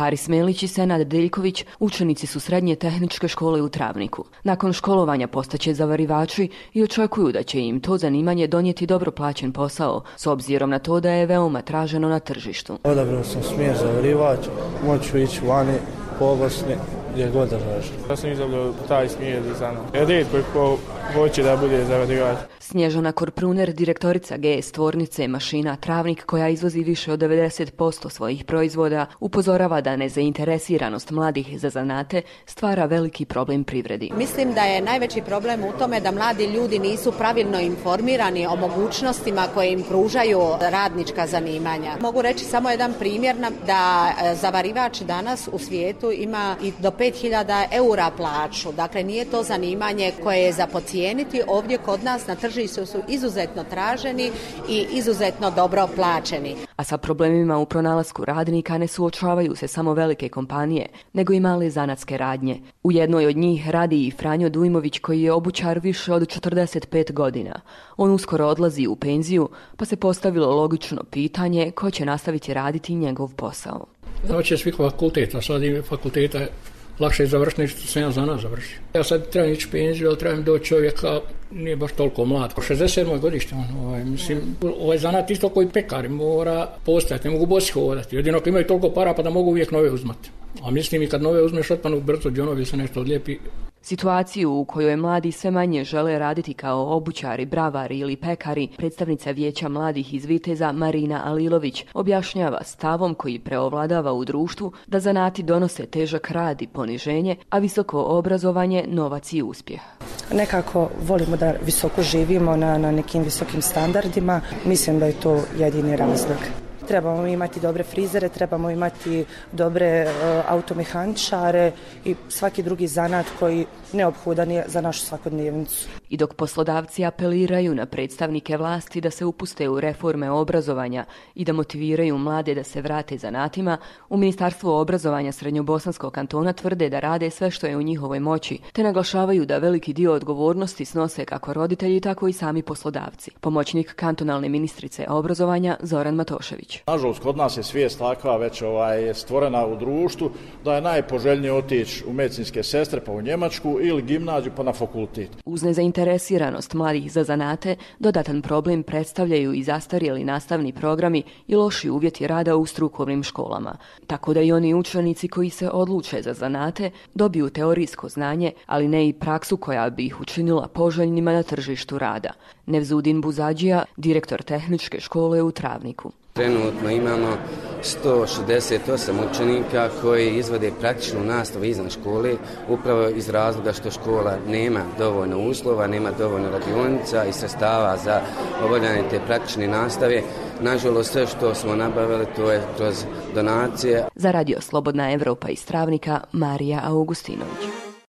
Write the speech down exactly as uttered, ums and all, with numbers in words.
Haris Melić i Senad Deljković učenici su srednje tehničke škole u Travniku. Nakon školovanja postaće zavarivači i očekuju da će im to zanimanje donijeti dobro plaćen posao, s obzirom na to da je veoma traženo na tržištu. Odabrao sam smjer zavarivač, moću ići vani, po Bosni, gdje god da tražim. Ja sam izabrao taj smjer za mnom. Rijetko ko hoće da bude zavarivač. Snježana Korpruner, direktorica G S tvornice mašina Travnik, koja izvozi više od devedeset posto svojih proizvoda, upozorava da nezainteresiranost mladih za zanate stvara veliki problem privredi. Mislim da je najveći problem u tome da mladi ljudi nisu pravilno informirani o mogućnostima koje im pružaju radnička zanimanja. Mogu reći samo jedan primjer da zavarivač danas u svijetu ima i do pet hiljada eura plaću. Dakle, nije to zanimanje koje je za podcijeniti. Ovdje kod nas na tržištu su izuzetno traženi i izuzetno dobro plaćeni. A sa problemima u pronalasku radnika ne suočavaju se samo velike kompanije, nego i male zanatske radnje. U jednoj od njih radi i Franjo Dujmović, koji je obućar više od četrdeset pet godina. On uskoro odlazi u penziju, pa se postavilo logično pitanje ko će nastaviti raditi njegov posao. Hoće svih fakulteta, sad im fakulteta lakše je završiti što sam ja za nas završio. Ja sad trebam ići penziju, ali trebam doći čovjeka, nije baš toliko mlad. šezdeset sedmo godište, on, ovaj, mislim, ovaj zanat isto koji pekari mora postojati, ne mogu bosi hodati. Jedino ako imaju toliko para pa da mogu uvijek nove uzmati. A mislim i kad nove uzmeš otpanu brzo džonovi se nešto odlijepi. Situaciju u kojoj mladi sve manje žele raditi kao obućari, bravari ili pekari, predstavnica Vijeća mladih iz Viteza Marina Alilović objašnjava stavom koji preovladava u društvu da zanati donose težak rad i poniženje, a visoko obrazovanje novac i uspjeh. Nekako volimo da visoko živimo na, na nekim visokim standardima. Mislim da je to jedini razlog. Trebamo imati dobre frizere, trebamo imati dobre uh, automehaničare i svaki drugi zanat koji neophodan je za našu svakodnevnicu. I dok poslodavci apeliraju na predstavnike vlasti da se upuste u reforme obrazovanja i da motiviraju mlade da se vrate zanatima, u Ministarstvu obrazovanja Srednjobosanskog kantona tvrde da rade sve što je u njihovoj moći, te naglašavaju da veliki dio odgovornosti snose kako roditelji, tako i sami poslodavci. Pomoćnik kantonalne ministrice obrazovanja Zoran Matošević. Nažalost, kod nas je svijest takva već ovaj, stvorena u društvu da je najpoželjnije otići u medicinske sestre pa u Njemačku ili gimnaziju pa na fakultet. Uz nezainteresiranost mladih za zanate, dodatan problem predstavljaju i zastarjeli nastavni programi i loši uvjeti rada u strukovnim školama. Tako da i oni učenici koji se odluče za zanate dobiju teorijsko znanje, ali ne i praksu koja bi ih učinila poželjnima na tržištu rada. Nevzudin Buzadžija, direktor tehničke škole u Travniku. Trenutno imamo sto šezdeset osam učenika koji izvode praktičnu nastavu izvan škole, upravo iz razloga što škola nema dovoljno uslova, nema dovoljno radionica i sredstava za obavljanje te praktične nastave. Nažalost, sve što smo nabavili to je kroz donacije. Za Radio Slobodna Evropa iz Travnika, Marija Augustinović.